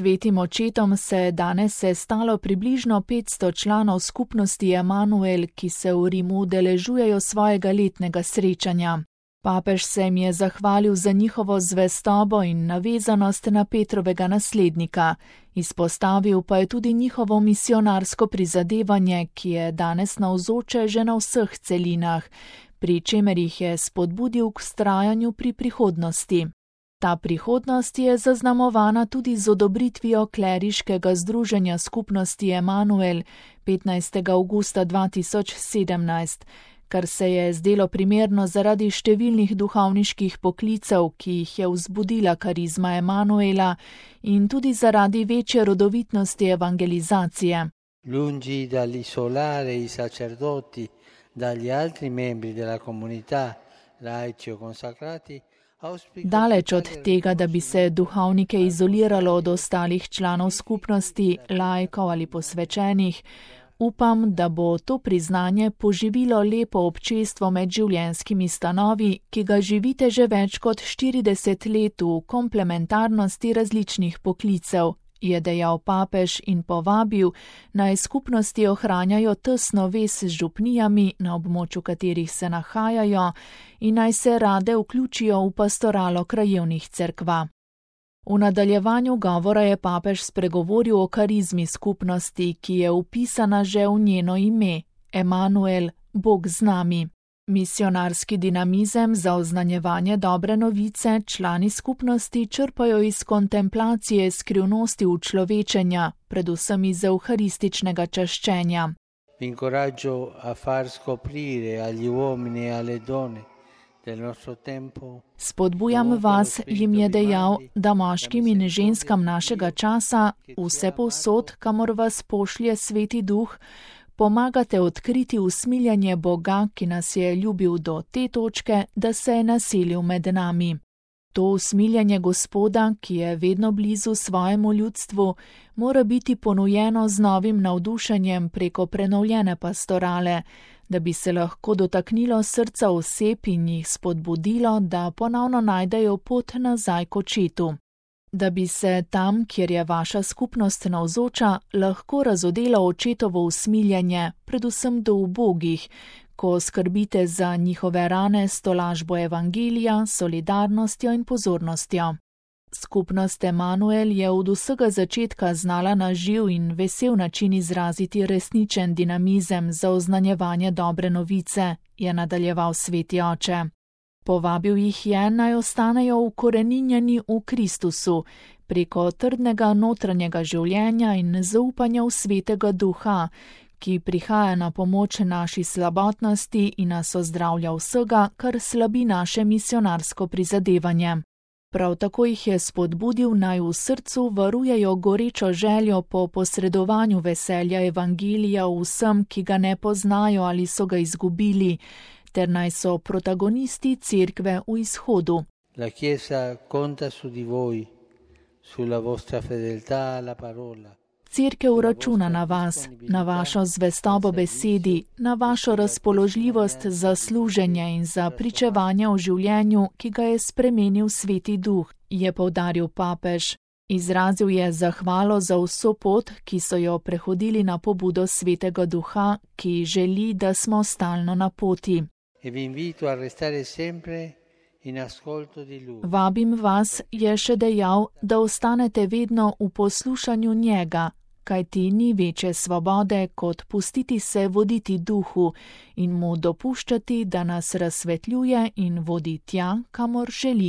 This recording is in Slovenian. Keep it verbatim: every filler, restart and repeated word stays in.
Svetim očetom se je danes sestalo približno petsto članov skupnosti Emanuel, ki se v Rimu udeležujejo svojega letnega srečanja. Papež se jim je zahvalil za njihovo zvestobo in navezanost na Petrovega naslednika. Izpostavil pa je tudi njihovo misionarsko prizadevanje, ki je danes navzoče že na vseh celinah, pri čemer jih je spodbudil k vztrajanju pri prihodnosti. Ta prihodnost je zaznamovana tudi z odobritvijo kleriškega združenja skupnosti Emanuel petnajstega avgusta dva tisoč sedemnajst, kar se je zdelo primerno zaradi številnih duhovniških poklicev, ki jih je vzbudila karizma Emanuela, in tudi zaradi večje rodovitnosti evangelizacije. Lungi dall'isolare i sacerdoti dagli altri membri della comunità, laici o consacrati, Daleč od tega, da bi se duhovnike izoliralo od ostalih članov skupnosti, laikov ali posvečenih, upam, da bo to priznanje poživilo lepo občestvo med življenjskimi stanovi, ki ga živite že več kot štirideset let v komplementarnosti različnih poklicev, je dejal papež in povabil, naj skupnosti ohranjajo tesno vez z župnijami, na območju katerih se nahajajo, in naj se rade vključijo v pastoralo krajevnih cerkva. V nadaljevanju govora je papež spregovoril o karizmi skupnosti, ki je vpisana že v njeno ime, Emanuel, Bog z nami. Misionarski dinamizem za oznanjevanje dobre novice člani skupnosti črpajo iz kontemplacije skrivnosti učlovečenja, predvsem iz evharističnega čaščenja. Vi incoraggio a far scoprire agli uomini e alle donne del nostro tempo. Spodbujam vas, jim je dejal, da moškim in ženskam našega časa, vse povsod, kamor vas pošlje Sveti Duh, pomagate odkriti usmiljanje Boga, ki nas je ljubil do te točke, da se je naselil med nami. To usmiljanje Gospoda, ki je vedno blizu svojemu ljudstvu, mora biti ponujeno z novim navdušenjem preko prenovljene pastorale, da bi se lahko dotaknilo srca oseb in jih spodbudilo, da ponovno najdejo pot nazaj k očetu. Da bi se tam, kjer je vaša skupnost navzoča, lahko razodelo očetovo usmiljanje, predvsem do ubogih, ko skrbite za njihove rane s tolažbo evangelija, solidarnostjo in pozornostjo. Skupnost Emanuel je od vsega začetka znala na živ in vesel način izraziti resničen dinamizem za oznanjevanje dobre novice, je nadaljeval Sveti oče. Povabil jih je, naj ostanejo ukoreninjeni v Kristusu, preko trdnega notranjega življenja in zaupanja v Svetega Duha, ki prihaja na pomoč naši slabotnosti in nas ozdravlja vsega, kar slabi naše misionarsko prizadevanje. Prav tako jih je spodbudil, naj v srcu varujejo gorečo željo po posredovanju veselja evangelija vsem, ki ga ne poznajo ali so ga izgubili, ter naj so protagonisti cerkve v izhodu. La Chiesa conta su di voi, sulla vostra fedeltà alla parola. Cerkev računa na vas, na vašo zvestobo besedi, na vašo razpoložljivost za služenje in za pričevanje o življenju, ki ga je spremenil Sveti Duh, je poudaril papež. Izrazil je zahvalo za vso pot, ki so jo prehodili na pobudo Svetega Duha, ki želi, da smo stalno na poti. E vi invito a restare sempre in ascolto di lui. Vabim vas, je še dejal, da ostanete vedno v poslušanju njega, kajti ni večje svobode, kot pustiti se voditi duhu in mu dopuščati, da nas razsvetljuje in vodi tja, kamor želi.